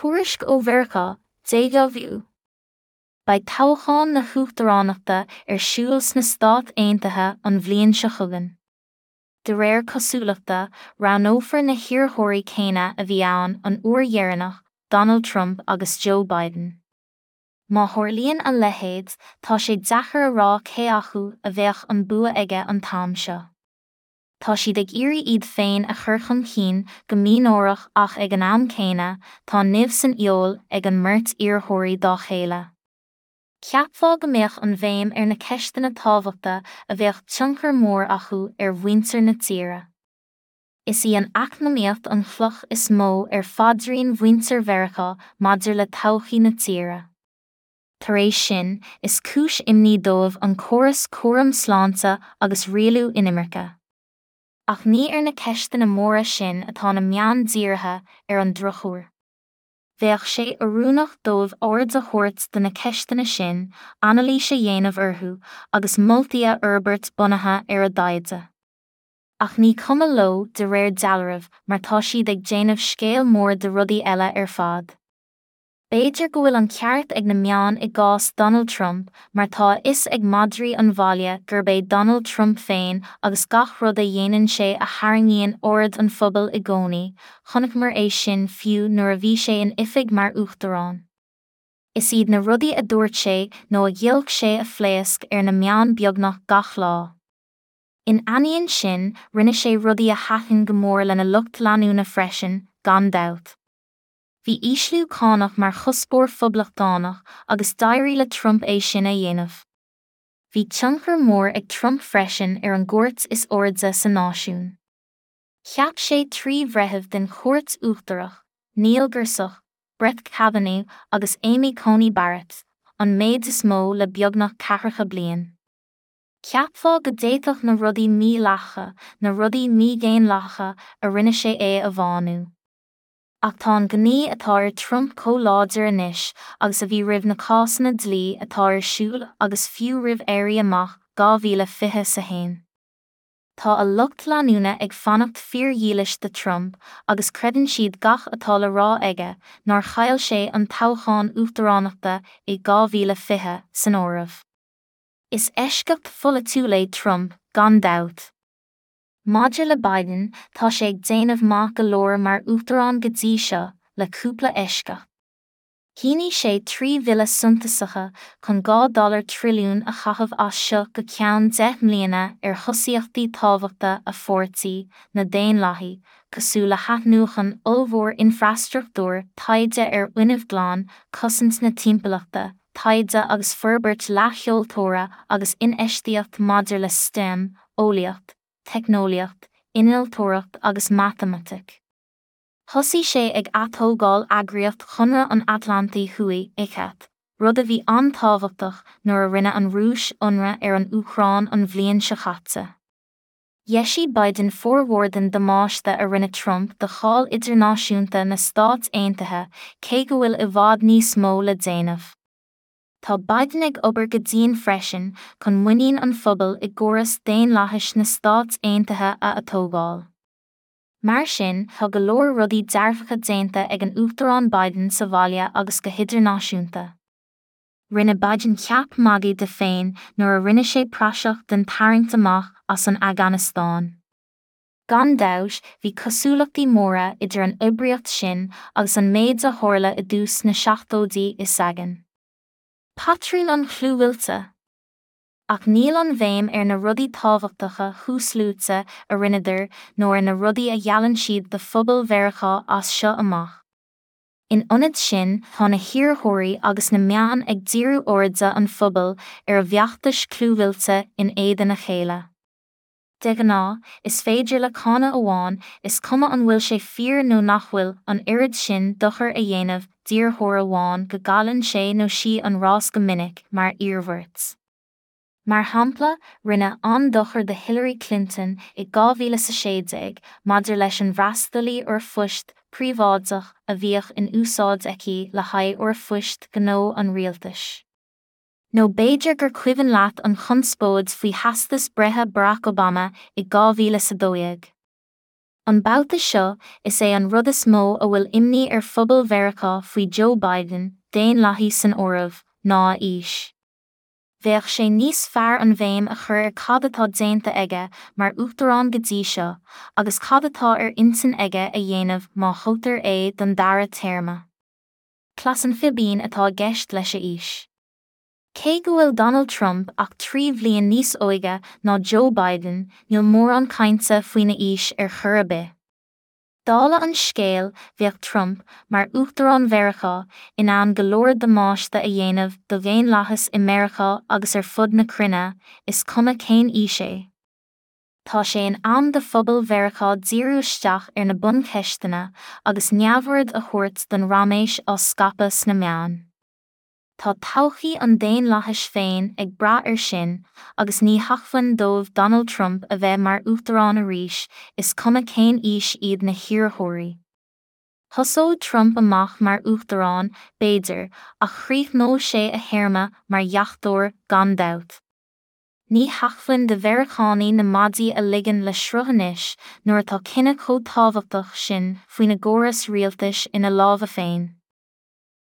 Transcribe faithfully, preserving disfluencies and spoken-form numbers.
Tuairisc ó Mheiriceá, Déjà Vu. Beidh toghchán na huachtaránachta ar siúl sna Stáit Aontaithe an bhliain seo chugainn. De réir cosúlachta, roghnófar na hiarrthóirí céanna a bhí ann an uair dheireanach, Donald Trump agus Joe Biden. Má tharlaíonn a leithéid, tá sé deacair a rá cé acu a bheadh an bua aige an t-am seo. Tá siad ag iarraidh iad féin a chur chun cinn go mínáireach ach ag an am céanna, tá nimh san fheoil ag an mbeirt iarrthóirí dá chéile. Cheapfá go mbeadh an bhéim ar na ceisteanna tábhachta a bheadh tionchar mór acu ar mhuintir na tíre. Is í an eacnamaíocht an chloch is mó ar phaidrín mhuintir Mheiriceá maidir le todhchaí na tíre. Tar éis sin, is cúis imní dóibh an córas cúram sláinte agus rialú inimirce. Ach ní ar na ceisteanna móra sin atá na meáin dírithe ar an drochuair. Bheadh sé oiriúnach dóibh aird a thabhairt do na ceisteanna sin, anailís a dhéanamh orthu, agus moltaí a fhorbairt bunaithe ar a dtaighde. Ach ní cuma leo de réir dealraimh mar tá siad ag déanamh scéal mór de rudaí eile ar fad. B'fhéidir go bhfuil an ceart ag na meáin i gcás Donald Trump mar tá a fhios ag madraí an bhaile gurb é Donald Trump féin agus gach rud a dhéanann sé a tharraingíonn aird an phobail i gcónaí, chonaiceamar é sin fiú nuair a bhí sé in oifig mar uachtarán. Is iad na rudaí a dúirt sé nó a ghiolc sé a phléasc ar na meáin beagnach gach lá. In ainneoin sin, rinne sé rudaí a thaitin go mór lena lucht leanúna freisin, gan dabht. Bhí ísliú cánach mar chuspóir phoblachtánach agus d'éirigh le Trump é sin a dhéanamh. Bhí tionchar mór ag Trump freisin ar an gcúirt is airde sa náisiún. Cheap sé trí bhreitheamh den Chúirt Uachtarach, Neil Gorsuch, Brett Kavanaugh agus Amy Coney Barrett, an méid is mó le beagnach ceathracha bliain. Cheapfá go d'fhéadfadh na rudaí mídhleathacha, na rudaí mídhaonlathacha a rinne sé é a bhánú. Ach tá an gnaoi atá ar Trump chomh láidir anois agus a bhí roimh na cásanna dlí atá ar siúl agus fiú roimh Éirí Amach dhá mhíle fiche a haon. Tá a lucht leanúna ag fanacht fíordhílis do Trump agus creideann siad gach atá le rá aige nár chaill sé an toghchán uachtaránachta i dhá mhíle fiche san áireamh. Is eisceacht pholaitiúil é Trump, gan dabht. Maidir le Biden, tá sé ag déanamh maith go leor mar uachtarán go dtí seo, le cúpla eisceacht. Shínigh sé trí bhille suntasacha chun dhá dollar trilliún a chaitheamh as seo go ceann deich mbliana ar thosaíochtaí tábhachta a pháirtí, na Daonlathaigh, cosúil le hathnuachan ollmhór infreastruchtúir, taighde ar fhuinneamh glan, cosaint na timpeallachta, taighde agus forbairt leathsheoltóra agus infheistíocht maidir le STEM, eolaíocht, teicneolaíocht, innealtóireacht agus matamaitic. Thosaigh sé ag atógáil eagraíocht Chonradh an Atlantaigh Thuaidh, ICAT, rud a bhí an-tábhachtach nuair a rinne an Rúis ionradh ar an Úcráin an bhliain seo caite. Dheisigh Biden formhór den damáiste a rinne Trump do cháil idirnáisiúnta na Stát Aontaithe cé go bhfuil i bhfad níos mó le déanamh. Tá Biden ag obair go dian freisin chun muinín an phobail i gcóras daonlathais na Stát Aontaithe a atógáil. Mar sin, tá go leor rudaí dearfacha déanta ag an Uachtarán Biden sa bhaile agus go hidirnáisiúnta. Rinne Biden ceap magaidh de féin nuair a rinne sé praiseach den tarraingt amach as an Afganastáin. Gan dabht, bhí cosúlachtaí móra idir an oibríocht sin agus an méid a tharla i dtús na seachtóidí i Saigon. Patrún an chlúmhillte. Ach níl an bhéim ar na rudaí tábhachtacha thuasluaite a rinneadar nó ar na rudaí a gheallann siad do phobal Mheiriceá as seo amach. In ionad sin, tá na hiarrthóirí agus na meáin ag díriú airde an phobail ar a bhfeachtais chlúmhillte in éadan a chéile. De ghnáth, is féidir le cáineadh amháin, is cuma an bhfuil sé fíor nó nach bhfuil, an oiread sin dochair a dhéanamh d'iarrthóir amháin go gcailleann sé nó sí an rás go minic, mar iarmhairt. Mar shampla, rinneadh an-dochar do Hillary Clinton i dhá mhíle a sé déag maidir leis an bhfreastalaí r-phoist príobháideach a bhíodh in úsáid aici le haghaidh r-phoist gnó an rialtais. Nó b'fhéidir gur cuimhin leat an chonspóid faoi theastas breithe Barack Obama i dhá mhíle a dó dhéag. An babhta seo, is é an rud is mó a bhfuil imní ar phobal Mheiriceá faoi Joe Biden, Daonlathaí san áireamh, ná a aois. Bheadh sé níos fearr an bhéim a chur ar cad atá déanta aige mar uachtarán go dtí seo, agus cad atá ar intinn aige a dhéanamh má thoghtar é don dara téarma. Cleas an fhíbín atá i gceist leis a aois. Cé go bhfuil Donald Trump ach trí bhliain níos óige ná Joe Biden, níl mórán cainte faoina aois ar chor ar bith. Dála an scéil, bheadh Trump, mar Uachtarán Mheiriceá, in ann go leor damáiste a dhéanamh do dhaonlathas i Meiriceá agus ar fud na cruinne, is cuma cén aois é. Tá sé in am do phobal Mheiriceá díriú isteach ar na buncheisteanna agus neamhaird a thabhairt don raiméis á scaipeadh sna meáin. Tá todhchaí an daonlathais féin ag brath air sin, agus ní hacmhainn dóibh Donald Trump a bheith mar uachtarán arís, is cuma cén aois iad na hiarrthóirí. Thosódh Trump amach mar uachtarán, b'fhéidir, ach chríochnódh sé a théarma mar dheachtóir, gan dabht. Ní hacmhainn do Mheiriceánaigh na maidí a ligean le sruth anois nuair atá cinneadh chomh tábhachtach sin faoina gcóras rialtais ina lámha féin.